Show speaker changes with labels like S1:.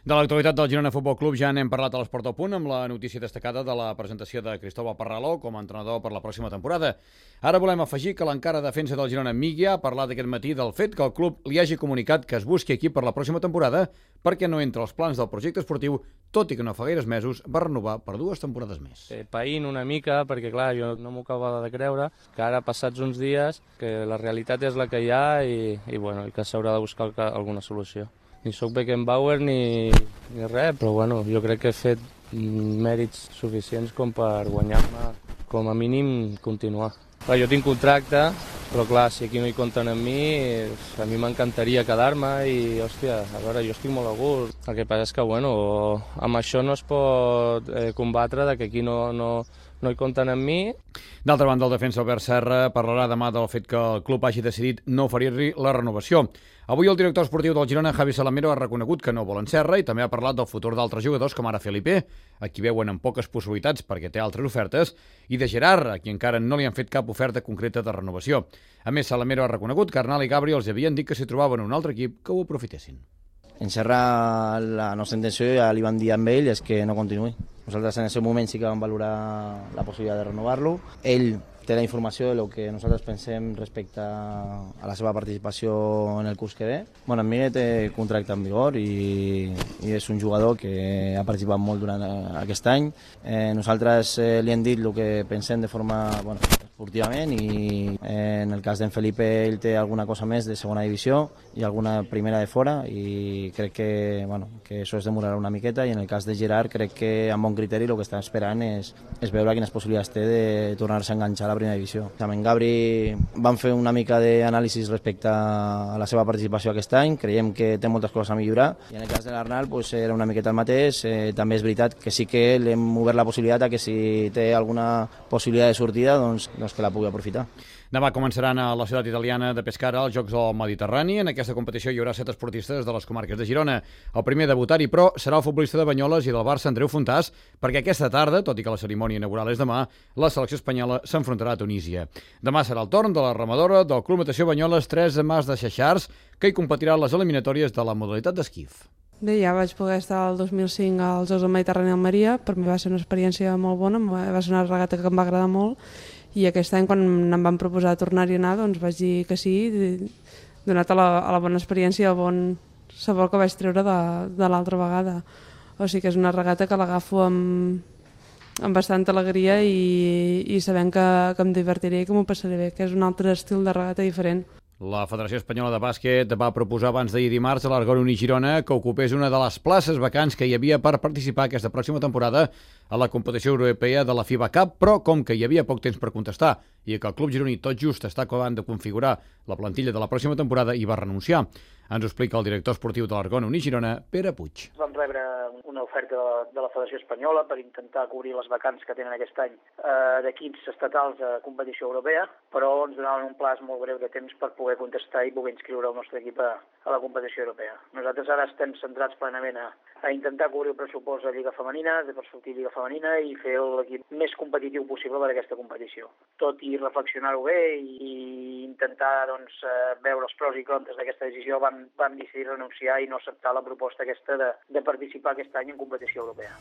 S1: De l'actualitat del Girona Futbol Club ja n'hem parlat a l'Esport al Punt amb la notícia destacada de la presentació de Cristóbal Parraló com a entrenador per la pròxima temporada. Ara volem afegir que l'encara defensa del Girona Míguia ha parlat aquest matí del fet que el club li hagi comunicat que es busqui equip per la pròxima temporada perquè no entra als plans del projecte esportiu, tot i que no fa gaires mesos va renovar per 2 temporades més.
S2: Païnt una mica, perquè clar, jo no m'ho acabava de creure, que ara passats uns dies que la realitat és la que hi ha i que s'haurà de buscar alguna solució. Ni soc Beckenbauer ni res, però bueno, jo crec que he fet mèrits suficients com per guanyar-me, com a mínim, continuar. Clar, jo tinc contracte, però clar, si aquí no hi compten amb mi, a mi m'encantaria quedar-me i, hòstia, a veure, jo estic molt a gust. El que passa és que, bueno, amb això no es pot combatre de que aquí no hi compten amb mi.
S1: D'altra banda, el defensa Albert Serra parlarà demà del fet que el club hagi decidit no oferir-li la renovació. Avui el director esportiu del Girona, Javi Salamero, ha reconegut que no volen Serra i també ha parlat del futur d'altres jugadors com ara Felipe, a qui veuen amb poques possibilitats perquè té altres ofertes, i de Gerard, a qui encara no li han fet cap oferta concreta de renovació. A més, Salamero ha reconegut que Arnal i Gabri els havien dit que si trobaven un altre equip que ho aprofitessin.
S3: En Serra, la nostra intenció, ja li van dir amb ell, és que no continuï. Nosaltres en aquest moment sí que vam valorar la possibilitat de renovar-lo. Ell té la informació del que nosaltres pensem respecte a la seva participació en el curs que ve. Bueno, en Miguel té contracte en vigor i és un jugador que ha participat molt durant aquest any. Nosaltres li hem dit el que pensem de forma esportivament i en el cas d'en Felipe ell té alguna cosa més de segona divisió i alguna primera de fora i crec que això es demorarà una miqueta i en el cas de Gerard crec que amb bon criteri el que està esperant és veure quines possibilitats té de tornar-se a enganxar a la primera divisió. Amb en Gabri vam fer una mica d'anàlisi respecte a la seva participació aquest any, creiem que té moltes coses a millorar i en el cas de l'Arnal era una miqueta el mateix, també és veritat que sí que l'hem obert la possibilitat que si té alguna possibilitat de sortida doncs que la pugui aprofitar.
S1: Demà començaran a la ciutat italiana de Pescara els Jocs del Mediterrani. En aquesta competició hi haurà 7 esportistes de les comarques de Girona. El primer a debutar-hi, però, serà el futbolista de Banyoles i del Barça, Andreu Fontàs, perquè aquesta tarda, tot i que la cerimònia inaugural és demà, la selecció espanyola s'enfrontarà a Tunísia. Demà serà el torn de la remadora del Club Natació Banyoles 3 Mas de Xaxars, que hi competirà en les eliminatòries de la modalitat d'esquif.
S4: Bé, ja vaig poder estar el 2005 als Jocs del Mediterrani a Almeria, per mi va ser una experiència molt bona, va ser una regata que em va agradar molt, i aquest any quan em van proposar tornar-hi a anar doncs vaig dir que sí, donat a la bona experiència i el bon sabor que vaig treure de l'altra vegada. O sigui que és una regata que l'agafo amb bastanta alegria i sabent que em divertiré i que m'ho passaré bé, que és un altre estil de regata diferent.
S1: La Federació Espanyola de Bàsquet va proposar abans d'ahir dimarts a l'Argoni Girona que ocupés una de les places vacants que hi havia per participar aquesta pròxima temporada a la competició europea de la FIBA Cup, però com que hi havia poc temps per contestar i que el club gironí tot just està acabant de configurar la plantilla de la pròxima temporada, hi va renunciar. Ens ho explica el director esportiu de l'Argoni Girona, Pere Puig.
S5: Vam rebre una oferta de la Federació Espanyola per intentar cobrir les vacants que tenen aquest any d'equips estatals a competició europea, però ens donaven un plaç molt breu de temps per poder contestar i poder inscriure el nostre equip a la competició europea. Nosaltres ara estem centrats plenament a intentar cobrir el pressupost de Lliga Femenina, per sortir Lliga Femenina i fer l'equip més competitiu possible per a aquesta competició. Tot i reflexionar-ho bé i intentar veure els pros i contres d'aquesta decisió, vam decidir renunciar i no acceptar la proposta aquesta de participar aquest any en competició europea.